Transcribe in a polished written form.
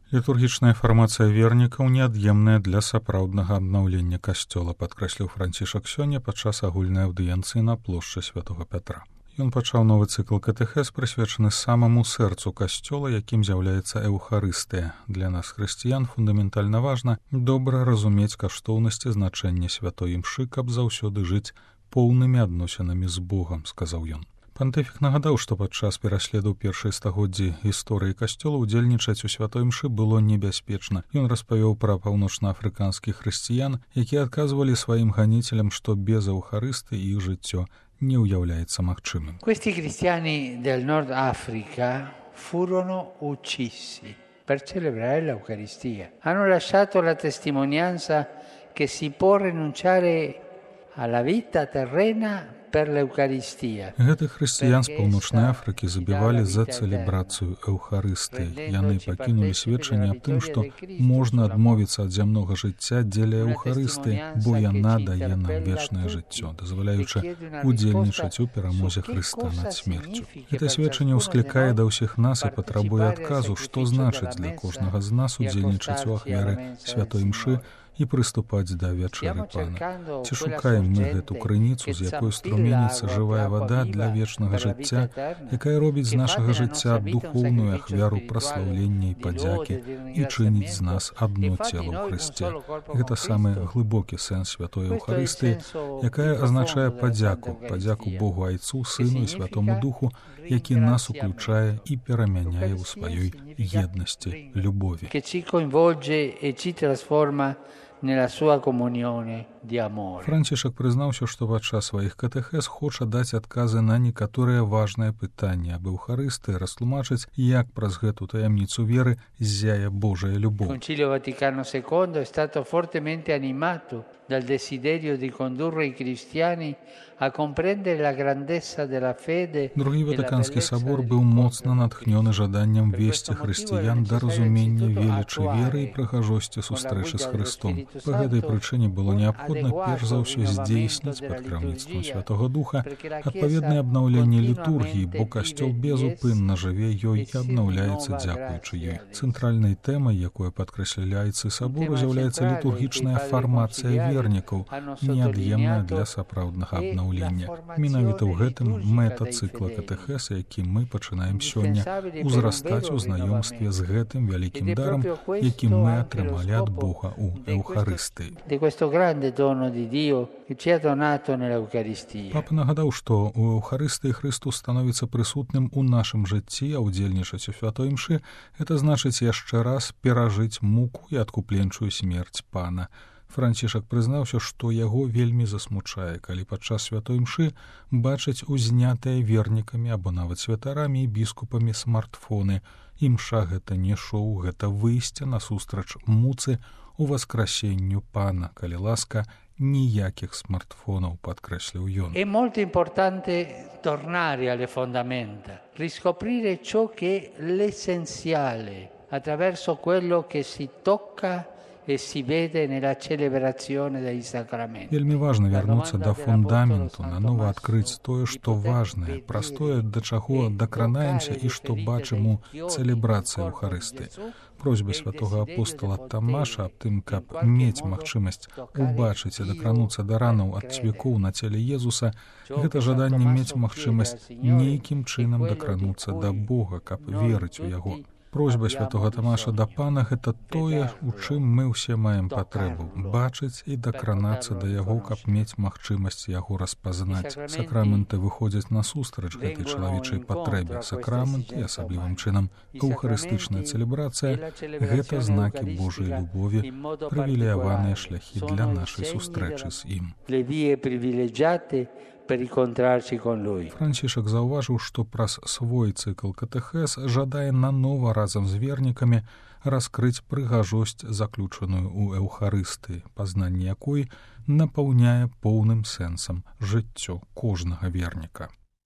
Літургічная фармацыя вернікаў неад'емная для сапраўднага абнаўлення касцёла, падкрэсліў Францішак сёння падчас агульнай аўдыенцыі на плошчы Святога Пятра. Ён пачаў новы цыкл катэхез, прысвечаны самаму сэрцу касцёла, якім з'яўляецца эўхарыстыя. Для нас, хрысціян, фундаментальна важна добра разумець каштоўнасці значэння святой імшы, каб заўсёды жыць поўнымі адносінамі з Богам, сказаў ён. Пантыфік нагадаў, што падчас пераследу першай стагоддзі гісторыі касцёла удзельнічаць у святой імшы было небяспечна. Ён распавёў пра паўночнаафрыканскіх хрысціян, якія адказвалі сваім ганіцелям, што без эўхарысты іх жыццё не ўяўляецца магчымым. Questi cristiani del Nord Africa furono uccisi per celebrare l'Eucaristia. Hanno lasciato la testimonianza che si può rinunciare alla vita terrena per l'Eucaristia. Гэтых хрысціян з паўночнай Афрыкі забівалі за цэлебрацыю эўхарыстыі. Яны пакінулі сведчанне аб тым, што можна адмовіцца ад зямнога жыцця дзеля эўхарыстыі, бо яна дае нам вечнае жыццё, дазваляючы удзельнічаць у перамозе Хрыста над смерцю. Гэта сведчанне ўсклікае да ўсіх нас і патрабуе адказу, што значыць для кожнага з нас удзельнічаць у ахвяры святой імшы і прыступаць да вячэры Пана. Ці шукаем мы гэту крыніцу, з якой струменіцца жывая вада для вечнага жыцця, якая робіць з нашага жыцця духоўную ахвяру праслаўлення і падзякі і чыніць з нас адно цела ў Хрысце. Гэта самы глыбокі сэнс святой Эўхарыстыі, якая азначае падзяку Богу Айцу, Сыну і Святому Духу, які нас уключае і перамяняе ў сваёй еднасці, любові. Францішак прызнаўся, што падчас сваіх катэхез хоча даць адказы на некаторыя важныя пытанні аб Эўхарыстыі, растлумачыць, як праз гэту таямніцу веры ззяе Божая любоў. Concilio Vaticano II è stato fortemente animato dal desiderio di condurre i cristiani a comprendere la grandezza della fede. Другі Ватыканскі сабор быў моцна натхнёны жаданнем весці хрысціян да разумення велічы веры і прыгажосці сустрэчы з Хрыстом. Па гэтай прычыне было неабходна перш за ўсё здзейсніць пад кіраўніцтвам Святога Духа адпаведнае абнаўленне літургіі, бо касцёл безупынна жыве ёй і абнаўляецца дзякуючы ёй. Цэнтральнай тэмай, якой падкрэсляецца сабору, з'яўляецца літургічная фармацыя вернікаў, неад'емная для сапраўднага абнаўлення. Менавіта ў гэтым мэта цыкла катэхез, які мы пачынаем сёння, узрастаць у знаёмстве з гэтым вялікім дарам, які мы атрымалі ад Бога ў Эўхарыстыі. Папа нагадаў, што ў Эўхарыстыі Хрыстус становіцца прысутным у нашым жыцці, а удзельнічаць у святой імшы — гэта значыць яшчэ раз перажыць муку і адкупленчую смерць Пана. Францішак прызнаўся, што яго вельмі засмучае, калі падчас святой імшы бачыць узнятыя вернікамі або нават святарамі і біскупамі смартфоны. Імша гэта не шоу, гэта выйсце насустрач муцы у васкрасенню Пана, калі ласка, ніякіх смартфонаў, падкрэсліў ён. È molto importante tornare alle fondamenta, riscoprire ciò che è l'essenziale attraverso quello che si tocca e si vede nella celebrazione dei sacramenti. Вельмі важна вярнуцца да фундаменту, нанова адкрыць тое, што важнае, праз тое, да чаго дакранаемся і што бачым у цэлебрацыі Эўхарыстыі. Просьба святога апостола Тамаша аб тым, каб мець магчымасць убачыць і дакрануцца да ранаў ад цвікоў на целе Езуса, гэта жаданне мець магчымасць нейкім чынам дакрануцца да Бога, каб верыць у яго. Просьба святога Тамаша да Пана — гэта тое, у чым мы ўсе маем патрэбу — бачыць і дакранацца да яго, каб мець магчымасць яго распазнаць. Сакраменты выходзяць насустрач гэтай чалавечай патрэбе. Сакраменты, асаблівым чынам эўхарыстычная цэлебрацыя — гэта знакі Божай любові, прывілеяваныя шляхі для нашай сустрэчы з ім. Францішак заўважыў, што праз свой цыкл катэхез жадае нанова разам з вернікамі раскрыць прыгажосць, заключаную ў Эўхарыстыі, пазнанне якой напаўняе поўным сэнсам жыццё кожнага верніка.